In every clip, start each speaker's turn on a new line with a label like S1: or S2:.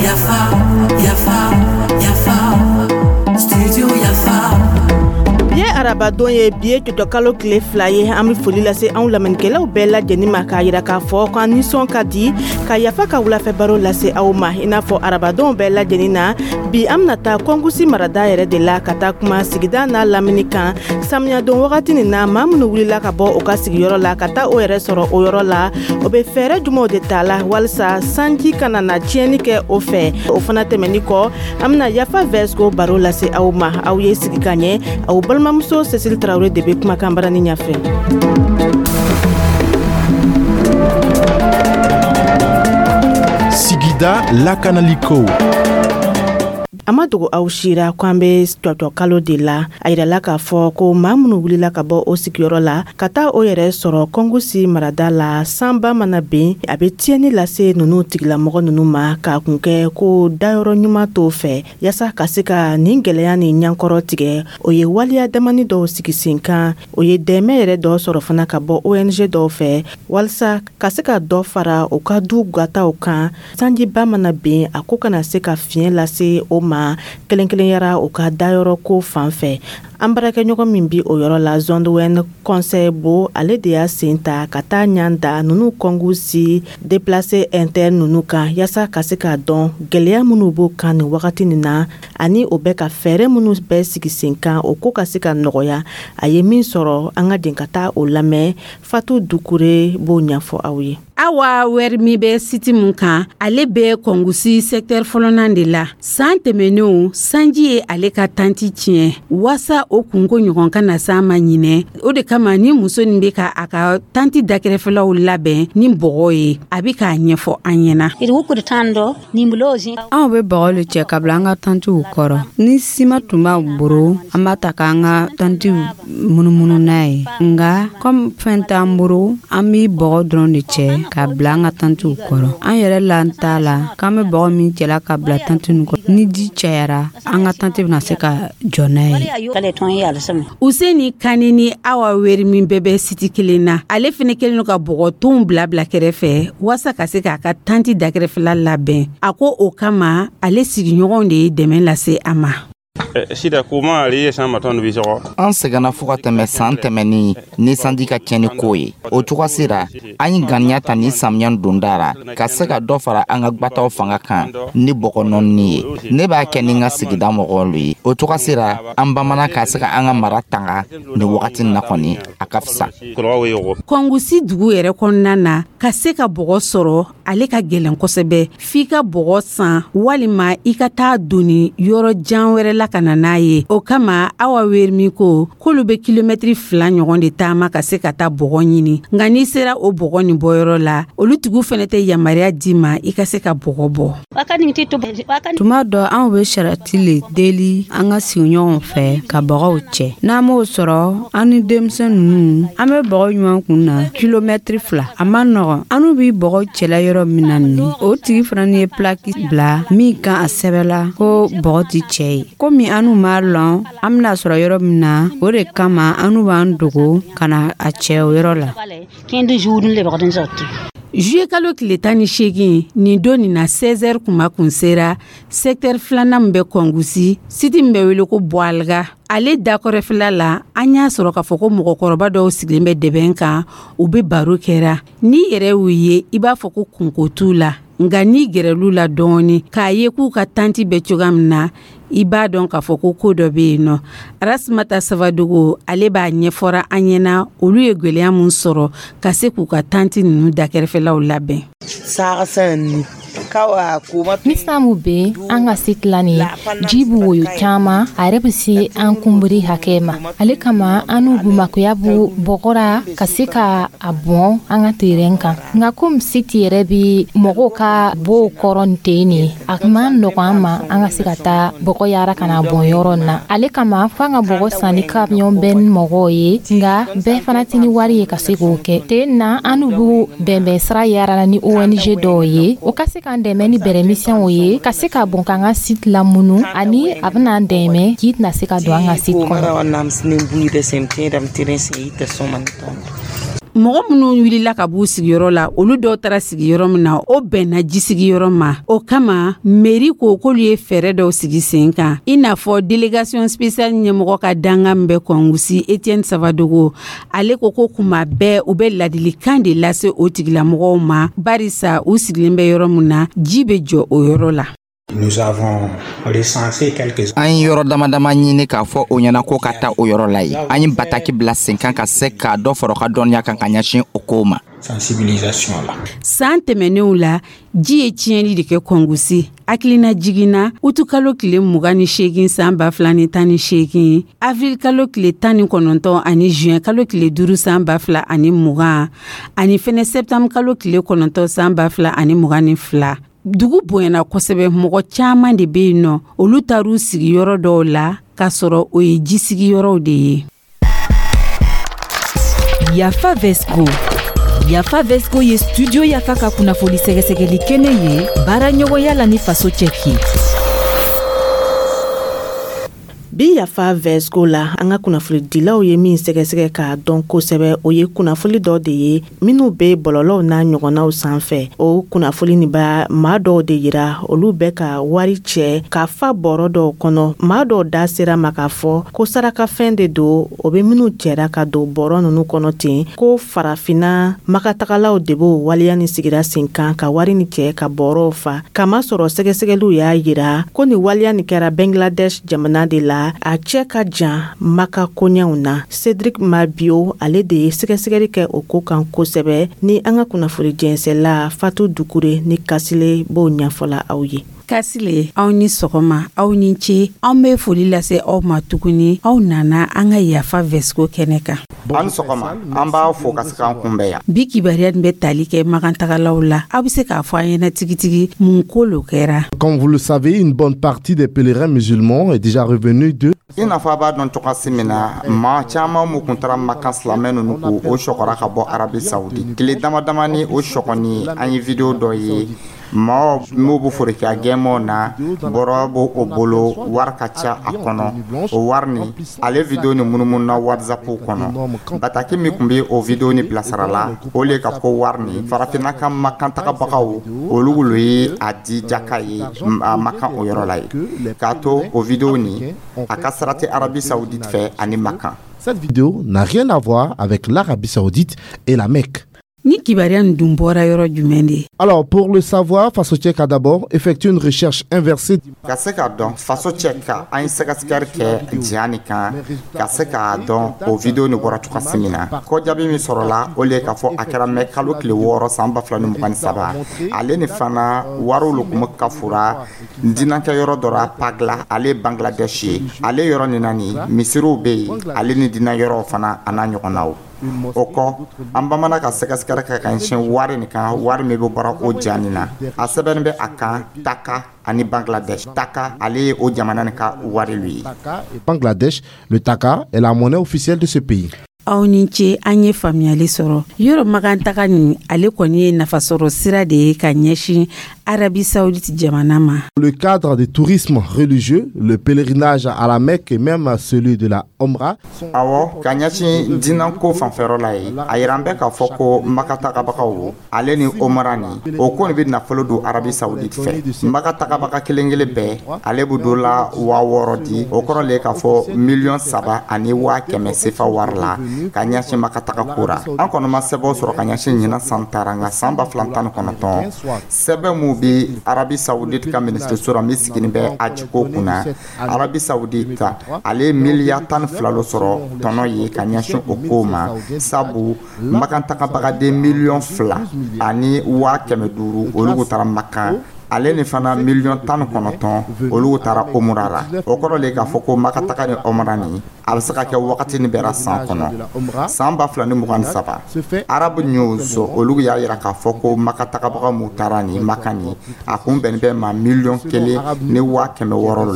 S1: Yafa, yafa, yafa, studio Yafa.
S2: Bi ye arabadon ye, bi ye cɔcɔkalo tile 2 ye. An bɛ foli lase anw lamɛnnikɛlaw bɛɛ lajɛlen ma, k'a yira k'a fɔ k'an nisɔn ka di ka Yafa ka wulafɛ baro lase aw ma. I n'a fɔ arabadonw bɛɛ lajɛlen na, bi an bɛna taa Kɔngusi marada yɛrɛ de la, ka taa kuma sigida n'a lamini kan. Samiyadon wagati nin na, maa minnu wulila ka bɔ u ka sigiyɔrɔ la ka taa o yɛrɛ sɔrɔ o yɔrɔ la, o bɛ fɛɛrɛ jumɛnw de ta la walisa sanji kana na tiɲɛni kɛ o fɛ? O fana tɛmɛni kɔ, an bɛna Yafa Vɛsiko baro lase aw ma. Aw ye sigi ka ɲɛ, aw balimamuso Cécile Traoré de bɛ kumakan barani ɲɛfɛ.
S3: Sigida lakanaliko.
S2: A ma dogo aw sira ko an bɛ cɔcɔ kalo de la. A yirala k'a fɔ ko maa minnu wulila ka bɔ o sigiyɔrɔ la ka taa o yɛrɛ sɔrɔ Kɔngusi marada la, sanba mana ben, a bɛ tiɲɛni lase ninnu tigilamɔgɔ ninnu ma, k'a kun kɛ ko dayɔrɔ ɲuman t'o fɛ. Yaasa ka se ka nin gɛlɛya ni ɲankɔrɔ tigɛ, o ye waleya damani dɔw sigi sen kan. O ye dɛmɛ yɛrɛ dɔ sɔrɔ fana ka bɔ ONG dɔw fɛ, walasa ka se ka dɔ fara u ka du gataw kan, sanjiba mana ben, a ko kana se ka fiɲɛ lase o ma, kelen kelenyara u ka dayɔrɔ ko fan fɛ. An baarakɛɲɔgɔn min bi o yɔrɔ la, Zɔnduwɛn Conseil Bo, ale de y'a sen ta ka taa ɲan da ninnu Kɔngusi déplacé interne ninnu kan, yaasa ka se k'a dɔn gɛlɛya minnu b'o kan nin wagati nin na, ani o bɛ ka fɛɛrɛ minnu bɛɛ sigi sen kan, o ko ka se ka nɔgɔya. A ye min sɔrɔ, an ka jɛn ka taa o lamɛn. Fatu Dukure b'o ɲɛfɔ aw ye.
S4: Awa Wɛri min bɛ site mun kan, ale bɛ Kɔngusi secteur fɔlɔnan de la. San tɛmɛnenw, sanji ye ale ka tanti tiɲɛ. Waasa o kunko ɲɔgɔn ka na s'an ma ɲinɛ, o de kama ni muso nin bɛ ka a ka tanti dakɛrɛfɛlaw labɛn ni bɔgɔ ye. A bɛ k'a ɲɛfɔ an ɲɛna.
S5: Anw bɛ bɔgɔ le cɛ ka bila an ka tantiw kɔrɔ. Ni sima tun b'an bolo, an b'a ta k'an ka tantiw munumunu n'a ye. Nka komi fɛn t'an bolo, an bɛ bɔgɔ dɔrɔn de cɛ k'a bila an ka tantiw kɔrɔ. An yɛrɛ la t'a la k'an bɛ bɔgɔ min cɛla ka bila tanti ninnu kɔrɔ, ni ji cayara, an ka tanti bɛna se ka jɔ n'a ye.
S4: Useni Kani ni Awa Weri min bɛɛ bɛ site kelen na, ale fɛnɛ kɛlen don ka bɔgɔtonw bila bila kɛrɛfɛ waasa ka se k'a ka tanti dakɛrɛfɛla labɛn. A ko o kama, ale sigiɲɔgɔnw de ye dɛmɛ lase a ma.
S6: An sɛgɛnna fo ka tɛmɛ san tɛmɛnin ni sanji ka tiɲɛni ko ye. O cogo sera, an ye ŋaniya ta ni samiya donda ra ka se ka dɔ fara an ka gbataw fanga kan ni bɔgɔ nɔɔni ye. Ne b'a kɛ ni n ka sigida mɔgɔw ye. O cogo sera, an bamanan ka se ka an ka mara tanga nin wagati na kɔni, a ka fisa.
S4: Kɔngusi dugu yɛrɛ kɔnɔna na, ka se ka bɔgɔ sɔrɔ, ale ka gɛlɛn kosɛbɛ. F'i ka bɔgɔ san walima i ka taa doni yɔrɔ jan wɛrɛ la ka na n'a ye. O kama, Awa Werimi ko k'olu bɛ kilomɛtiri 2 ɲɔgɔn de taama ka se ka taa bɔgɔ ɲini. Nka n'i sera o bɔgɔ nin bɔyɔrɔ la, olu tigiw fɛnɛ tɛ yamaruya d'i ma i ka se ka bɔgɔ bɔ.
S5: Tuma dɔ, anw bɛ sarati le deli an ka sigiɲɔgɔnw fɛ ka bɔgɔw cɛ. N'an m'o sɔrɔ, an ni denmisɛn ninnu, an bɛ bɔgɔ ɲuman kun na kilomɛtiri 2. A man nɔgɔn. An n'u bɛ bɔgɔ cɛla yɔrɔ min na nin, o tigi fana ye pilaki bila min kan, a sɛbɛla ko bɔgɔ ti cɛ ye. Komi an n'u m'a lɔn an bɛna sɔrɔ yɔrɔ min na, o de kama an n'u b'an dogo ka na a cɛ o yɔrɔ la.
S4: Juillet kalo tile 18, nin don nin na, 16h kuma kun sera secteur filanan min bɛ Kɔngusi, site min bɛ wele ko Bɔaliga, ale dakɔrɔfɛla la, an y'a sɔrɔ k'a fɔ ko mɔgɔkɔrɔba dɔw sigilen bɛ dɛbɛn kan, u bɛ baro kɛra. N'i yɛrɛ y'u ye, i b'a fɔ ko kunko t'u la. Nka n'i gɛrɛl'u la dɔɔni k'a ye k'u ka tanti bɛ cogoya min na, i b'a dɔn k'a fɔ ko ko dɔ bɛ yen nɔ. Arasimata Sabadogo, ale b'a ɲɛfɔra an ɲɛna olu ye gɛlɛya mun sɔrɔ ka se k'u ka tanti ninnu dakɛrɛfɛlaw labɛn.
S7: Ni san mu bɛ an ka site la nin, ji bɛ woyo caman, a yɛrɛ bɛ se an kunbiri hakɛ ma. Ale kama, an n'u makoya b'u bɔgɔra ka se ka a bɔn an ka terrain kan. Nka komi site yɛrɛ bɛ mɔgɔw ka bow kɔrɔ nin ten nin, a man nɔgɔn an ma an ka se ka taa bɔgɔ yara ka na bɔn yɔrɔ in na. Ale kama, f'an ka bɔgɔ san ni camion bɛɛ ni mɔgɔw ye, nka bɛɛ fana tɛ ni wari ye ka se k'o kɛ. Ten na, an n'u b'u bɛnbɛn sira yara ni ONG dɔw ye, o ka se k'an dɛmɛ ni bɛrɛmisɛnw ye ka se ka bɔn k'an ka site lamunu, ani a bɛna an dɛmɛ k'i tɛna se ka don an ka site kɔnɔ.
S4: Mɔgɔ minnu wulila ka b'u sigiyɔrɔ la, olu dɔw taara sigiyɔrɔ min na, o bɛnna ji sigiyɔrɔ ma. O kama, mairie ko k'olu ye fɛɛrɛ dɔw sigi sen kan, i n'a fɔ délégation spéciale ɲɛmɔgɔ ka dankan min bɛ Kɔngusi, Etienne Savadogo, ale ko ko kuma bɛɛ u bɛ ladilikan de lase o tigilamɔgɔw ma, barisa u sigilen bɛ yɔrɔ min na, ji bɛ jɔ o yɔrɔ la.
S8: Nous avons recensé quelques
S6: An ye yɔrɔ dama dama ɲini k'a fɔ o ɲɛna ko ka taa o yɔrɔ la yen. An ye bataki bila sen kan ka se k'a dɔ fara u ka dɔnniya kan ka ɲɛsin o kow ma.
S8: Sensibilisation là.
S4: San tɛmɛnenw la, ji ye tiɲɛli de kɛ Kɔngusi. Hakilina jiginna, utukalo tile 28 san 2018, avril kalo tile 19 ani juin kalo tile 5 san 2020, ani fɛnɛ septembre kalo tile 9 san 2022, dugu bonyana kosɛbɛ. Mɔgɔ caaman de be yen nɔ, olu taar'u sigiyɔrɔ dɔw la k'a sɔrɔ o ye ji sigiyɔrɔw de ye.
S9: Yafa Vesco. Yafa Vesco ye Studio Yafa ka kunnafoni sɛgɛsɛgɛli kɛnɛ ye, baara ɲɔgɔnya la ni Faso Cɛki.
S2: Bi Yafa Vesco la, an ka kunnafonidilaw ye min sɛgɛsɛgɛ k'a dɔn kosɛbɛ, o ye kunnafoli dɔ de ye minnu bɛ bɔlɔlɔw n'a ɲɔgɔnnaw sanfɛ. O kunnafoli nin b'a maa dɔw de yira, olu bɛ ka wari cɛ ka fa bɔrɔ dɔw kɔnɔ. Maa dɔw da sera ma k'a fɔ ko sarakafɛn de don, o bɛ minnu cɛra ka don bɔrɔ ninnu kɔnɔ ten, ko farafinna makatagalaw de b'o waleya ni sigira sen kan ka wari ni cɛ ka bɔrɔw fa. Kamasɔrɔ sɛgɛsɛgɛliw y'a yira ko nin waleya nin kɛra Bangladesh jamana de la, a cɛ ka jan Maka koɲɛw na. Cédric Mabio, ale de ye sɛgɛsɛgɛli kɛ o ko kan kosɛbɛ, ni an ka kunnafoni jɛnsɛla Fatu Dukure ni Kasile b'o ɲɛfɔla aw ye.
S4: Kasile, aw ni sɔgɔma, aw ni ce. An bɛ foli lase aw ma tuguni, aw nana an ka Yafa Vesco kɛnɛ kan.
S6: An sɔgɔma, an b'a fo ka se k'an kunbɛn yan.
S4: Bi kibaruya nin bɛ tali kɛ magantagalaw la. Aw bɛ se k'a fɔ an ɲɛna tigitigi mun ko lo kɛra?
S3: Comme vous le savez, une bonne partie des pèlerins musulmans est déjà revenue de
S6: I n'a fɔ a b'a dɔn cogoyasi min na, maa caman mun kun taara Makan, silamɛ ninnu ko o sɔgɔra ka bɔ Arabi Saudi tile dama dama ni o sɔgɔni. An ye vidéo dɔ ye, maaw n'u bɛ forokiya gɛnmaw na, bɔrɔ b'o o bolo, wari ka ca a kɔnɔ. O wari ni ale vidéo ni munumunu na WhatsApp kɔnɔ. Bataki min tun bɛ o vidéo ni bilasira la, o le ka ko wari ni farafinna ka Makan tagabagaw, olu lo ye a di jaka ye a Makan o yɔrɔ la ye, k'a to o vidéo ni a ka sara tɛ Arabi Saoudite fɛ ani Makan.
S3: Cette vidéo n'a rien à voir avec l'Arabie Saoudite et la Mecque.
S4: Ni kibaruya nin dun bɔra yɔrɔ jumɛn de?
S3: Alors, pour le savoir, Faso Tchèque a d'abord effectué une recherche inversée.
S6: Ka se k'a dɔn, Faso cɛ ka an ye sɛgɛsɛgɛli kɛ diya nin kan ka se k'a dɔn o vidéo nin bɔra cogoya min na. Ko jaabi min sɔrɔla, o le k'a fɔ a kɛra mɛ kalo tile 6 san 2023. Ale ni fana wariw le kun bɛ ka fura dinankɛ yɔrɔ dɔ la Pagla, ale ye Bangladesh ye. Ale yɔrɔ nin na nin misiriw bɛ yen, ale ni diinɛ yɔrɔw fana a n'a ɲɔgɔnnaw. O kɔ, an bamanan ka sɛgɛsɛgɛli kɛ ka ɲɛsin wari nin kan, wari min bɛ bɔra o ja nin na, a sɛbɛnni bɛ a kan Taka ani Bangladesh. Taka, ale ye o jamana nin ka wari lu ye.
S3: Bangladesh, le taka est la monnaie officielle de ce pays.
S4: Aw ni ce, an ye faamuyali sɔrɔ. Yɔrɔ magantaga nin, ale kɔni ye nafasɔrɔ sira de ye ka ɲɛsin Arabi Saoudite jamana ma.
S3: Le cadre du tourisme religieux, le pèlerinage à la Mecque et même celui de la Omra.
S6: Awɔ, ka ɲɛsin diinɛko fanfɛyɔrɔ la ye, a yira an bɛ k'a fɔ ko maka tagabagaw ale ni Omra nin, o ko nin bɛ nafolo don Arabi Saoudite fɛ. Maka tagabaga kelen kelen bɛɛ, ale bɛ don la 6000 di, o kɔrɔ le k'a fɔ 3,100,000 sefa wari la ka ɲɛsin maka taga ko ra. An kɔni ma sɛbɛnw sɔrɔ ka ɲɛsin ɲinan san taara, nka san 2019, sɛbɛn mun bɛ Arabi Saoudite ka minisiriso la min sigilen bɛ ajiko kunna, Arabi Saoudite ale ye miliyari 12 lo sɔrɔ tɔnɔ ye ka ɲɛsin o kow ma, sabu makan tagabagaden 2,5 million, olu kun taara Makan, ale ni fana 19 million, olu taara Omura la. O kɔrɔ le k'a fɔ ko maka taga ni Omra nin, a bɛ se ka kɛ wagati ni bɛra san kɔnɔ. San 2023, Arab News olu y'a yira k'a fɔ ko maka tagabaga mun taara nin Maka nin, a kun bɛnnen bɛ ma 1,6 million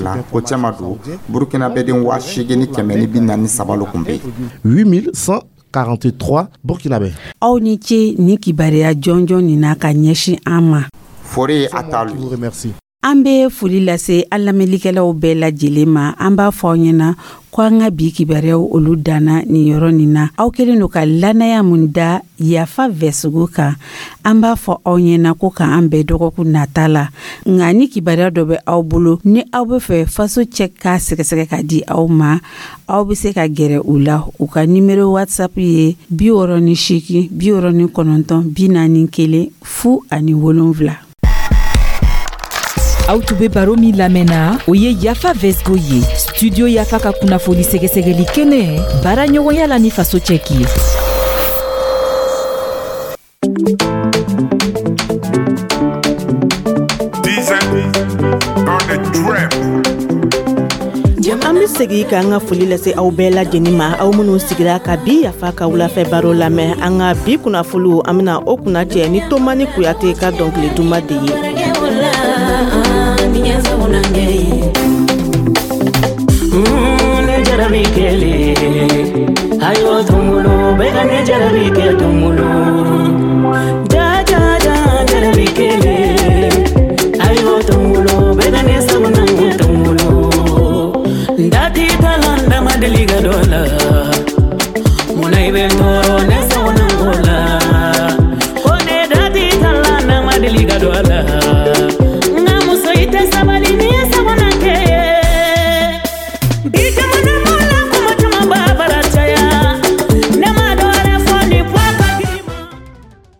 S6: la. O cɛma don, Burukina bɛden 8143 lo kun bɛ
S3: yen. 8143 Burkinabé.
S4: Aw ni ce ni kibaruya jɔnjɔn nin na ka ɲɛsin an ma.
S6: Fori ye a talu.
S3: Remercie.
S4: An bɛ foli lase an lamɛnlikɛlaw bɛɛ lajɛlen ma. An b'a fɔ aw ɲɛna ko an ka bi kibaruyaw, olu danna nin yɔrɔ nin na. Aw kɛlen don ka lannaya mun da Yafa Vɛsogo kan, an b'a fɔ aw ɲɛna ko k'an bɛn dɔgɔkun nata la. Nka ni kibaruya dɔ bɛ aw bolo, ni aw bɛ fɛ Faso cɛ k'a sɛgɛsɛgɛ ka di aw ma, aw bɛ se ka gɛrɛ u la. U ka nimero WhatsApp ye 68 69 41 07.
S9: Aw tun be baro min lamɛnna, o ye Yafa Vɛsgo ye, Studio Yafa ka kunnafoni sɛgɛsɛgɛli kɛnɛ, baara ɲɔgɔnya la ni Faso cɛki ye.
S2: An be segi k'an ka foli lase aw bɛɛ lajɛnin ma, aw minw sigira ka bi Yafa ka wulafɛ baro lamɛn. An ka bi kunnafoliw, an bena o kunnacɛ ni Tomani Kuyate ka dɔnkili duma de ye.
S1: Ne jarabi kele ayo tungulu bɛɛ ka ne jarabi kɛ tungulu ja ja ja jarabi kele ayo tungulu bɛɛ ka ne sagona tungulu dati talanda ma deli ka dɔ la.